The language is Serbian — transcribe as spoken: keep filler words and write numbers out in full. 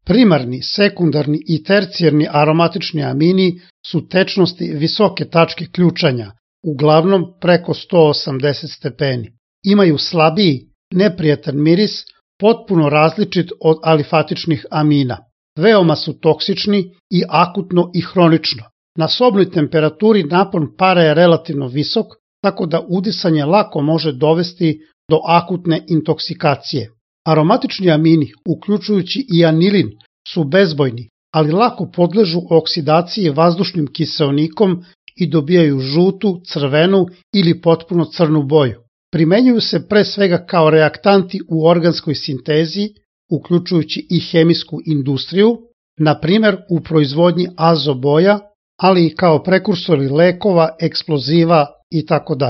Primarni, sekundarni i tercijarni aromatični amini su tečnosti visoke tačke ključanja, uglavnom preko sto osamdeset stepeni. Imaju slabiji, neprijatan miris, potpuno različit od alifatičnih amina. Veoma su toksični i akutno i hronično. Na sobnoj temperaturi napon para je relativno visok, tako da udisanje lako može dovesti do akutne intoksikacije. Aromatični amini, uključujući i anilin, su bezbojni, ali lako podležu oksidaciji vazdušnim kiseonikom i dobijaju žutu, crvenu ili potpuno crnu boju. Primenjuju se pre svega kao reaktanti u organskoj sintezi, uključujući i hemijsku industriju, na primer u proizvodnji azoboja, ali i kao prekursori lekova, eksploziva itd.